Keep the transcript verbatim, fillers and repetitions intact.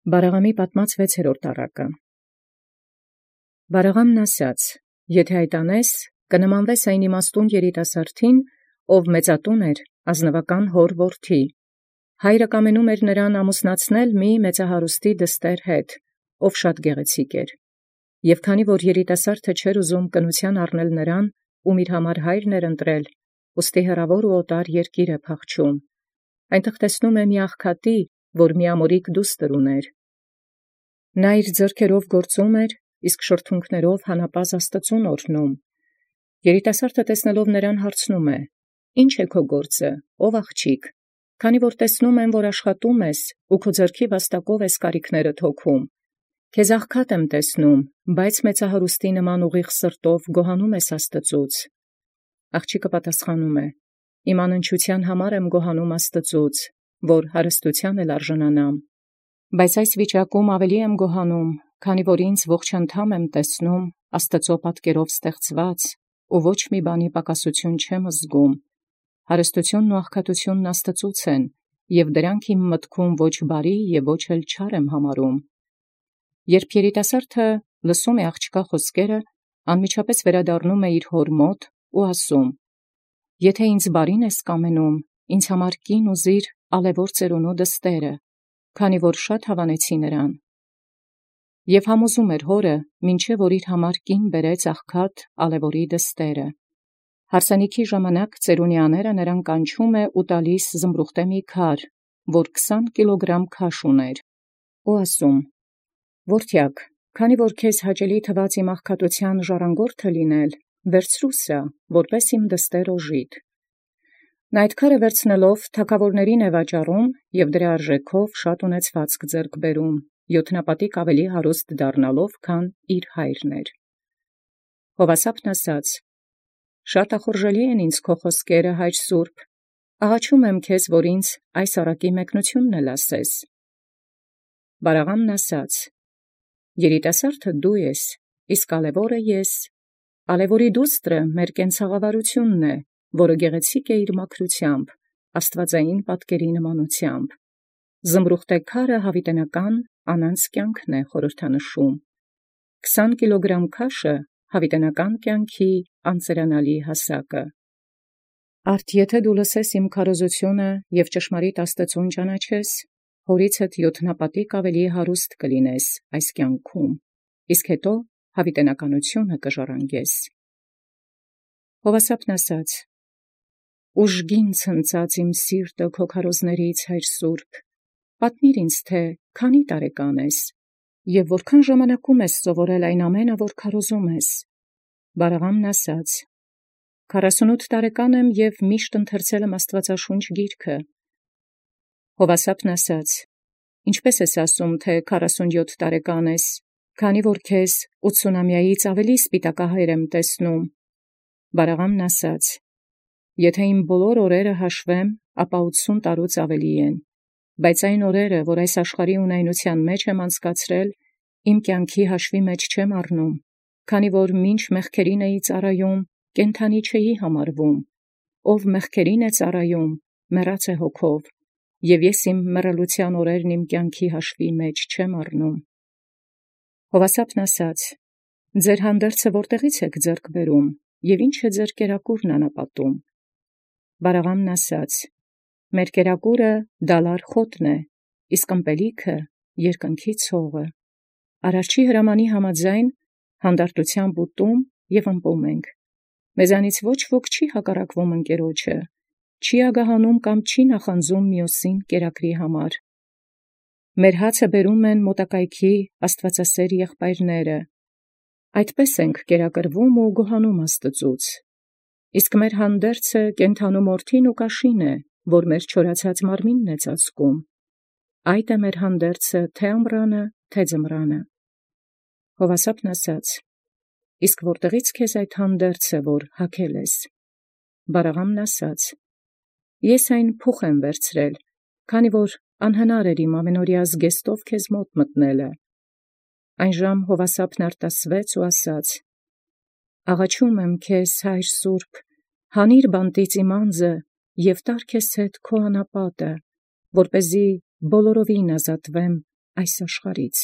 Բարաղամի պատմած վեցերորդ առակը։ Բարաղամն ասաց. «Եթե այդ անես, կնմանվես այն իմաստուն երիտասարդին, ով մեծատուն էր, ազնուական հոր որդի. հայրը կամենում էր նրան ամուսնացնել մի մեծահարուստի դստեր հետ, ով շատ գեղեցիկ էր. և քանի որ երիտասարդը չէր ուզում կնության առնել նրան, ում իր համար հայրն էր ընտրել, ուստի հեռավոր ու օտար երկիր է փախչում. այնտեղ տեսնում է մի աղքատի, որ միամորիկ դուստր ուներ. նա իր ձեռքերով գործում էր, իսկ շրթունքներով հանապազը Աստուծուն օրհնում. երիտասարդը տեսնելով նրան հարցնում է. «Ի՞նչ է քո գործը, ով աղջիկ, քանի որ տեսնում եմ, որ աշխատում ես ու քո ձեռքի վաստակով ես կարիքներդ հոգում. քեզ աղքատ եմ տեսնում, բայց մեծահարուստի նման ուղիղ սրտով գոհանում ես Աստծուց»։ Աղջիկը պատասխանում է. «Իմ անընչության համար եմ գոհանում Աստծուց, որ հարստութեան էլ արժանանամ. բայց այս վիճակում ավելի եմ գոհանում, քանի որ ինձ ողջ անդամ եմ տեսնում Աստուծոյ պատկերով ստեղծված, ու ոչ մի բանի պակասություն չեմ զգում. հարստութիւնն ու աղքատութիւնն Աստծուց են, և դրանք իմ մտքում ոչ բարի և ոչ էլ չար եմ համարում»։ Երբ երիտասարդը լսում է աղջկա խոսքերը, անմիջապես վերադառնում է իր հոր մոտ ու ասում. «Եթե ինձ բարին ես կամենում, ինձ համար կին ուզիր ալեւոր ծերունու դստերը, քանի որ շատ հավանեցի նրան»։ Եւ համոզում էր հորը, մինչև որ իր համար կին բերեց աղքատ ալեւորի դստերը։ Հարսանիքի ժամանակ ծերունեաները նրան կանչում է ու տալիս զմրուխտե մի քար, որ քսան կիլոգրամ քաշ ուներ, ու ասում. «Որդեակ, քանի որ քեզ հաճելի թված իմ աղքատութեան ժառանգորդը լինել, վերցրու սա, որպէս իմ դստեր օժիտ»։ Նա այդ քարը վերցնելով թագաւորացն է վաճառում և դրա արժեքով շատ ունեցվածք ձեռք բերում, յոթնապատիկ ավելի հարուստ դառնալով, քան իր հայրն էր։ Հովասապն ասաց. «Շատ ախորժելի են ինձ քո խոսքերը, հայր սուրբ, աղաչում եմ քեզ, որ ինձ այս առակի մեկնութիւնն էլ ասես»։ Բարաղամն ասաց. «Երիտասարդը դու ես, իսկ ալեւորը ես. ալեւորի դուստրը մեր կենցաղավարութիւնն է, որը գեղեցիկ է իր մաքրութեամբ, աստուածային պատկերի նմանութեամբ. զմրուխտե քարը յաւիտենական անանց կյանքն է խորհրդանշում. քսան կիլոգրամ քաշը յաւիտենական կյանքի անծերանալի հասակը։ Արդ եթէ դու լսես իմ քարոզութիւնը և ճշմարիտ Աստուծուն ճանաչես, հորիցդ յոթնապատիկ ավելի հարուստ կլինես այս կյանքում, իսկ հետո յաւիտենականութիւնը կժառանգես»։ Հովասապն ասաց. «Ուժգին ցնծած իմ սիրտը քո քարոզներից, հայր սուրբ, պատմիր ինձ, թէ քանի՞ տարեկան ես, և որքան ժամանակում ես սովորել այն ամենը, որ քարոզում ես»։ Բարաղամն ասաց. «Քառասունութ տարեկան եմ և միշտ ընթերցել եմ Աստուածաշունչ գիրքը»։ Հովասապն ասաց. «Ինչպէս ես ասում, թէ քառասունյոթ տարեկան ես, քանի որ քեզ ութսունամյայից ավելի սպիտակահայր եմ տեսնում»։ Բարաղամն ասաց. «Եթէ իմ բոլոր օրերը հաշվեմ, ապա ութսուն տարուց ավելի են. բայց այն օրերը, որ այս աշխարհի ունայնութեան մեջ եմ անցկացրել, իմ կյանքի հաշվի մեջ չեմ առնում, քանի որ մինչ մեղքերին էի ծառայում, կենդանի չէի համարվում. ով մեղքերին է ծառայում, մեռած է հոգով, և ես իմ մեռելութեան օրերն իմ կյանքի հաշվի մեջ չեմ առնում»։ Հովասապն ասաց. «Ձեր հանդերձը ո՞րտեղից եք ձեռք բերում, և ի՞նչ է ձեր կերակուրն անապատում»։ Բարաղամն ասաց. «Մեր կերակուրը դալար խոտն է, իսկ ըմպելիքը երկնքի ցողը. արարչի հրամանի համաձայն հանդարտութեամբ ուտում և ըմպում ենք. մեզանից ոչ ոք չի հակառակվում ընկերոջը, չի ագահանում կամ չի նախանձում մյոսին կերակրի համար։ Մեր հացը բերում են մոտակայքի աստուածասեր եղբայրները. այդպես ենք կերակրվում ու գոհանում Աստուծուց։ Իսկ մեր հանդերձը կենդանու մորթին ու կաշին է, որ մեր չորացած մարմինն է ծածկում. այդ է մեր հանդերձը թե՛ ամռանը, թե՛ ձմռանը»։ Հովասապն ասաց. «Իսկ ո՞րտեղից քեզ այդ հանդերձը, որ հագել ես»։ Բարաղամն ասաց. «Ես այն փուխ եմ վերցրել, քանի որ անհնար էր իմ ամենօրյա զգեստով քեզ մոտ մտնելը»։ Այնժամ Հովասապն արտասվեց ու ասաց. «Աղաչում եմ քեզ, հայր սուրբ, հանիր բանտից իմ անձը և տար քեզ հետ քո անապատը, որպեսզի բոլորովին ազատվեմ այս աշխարհից։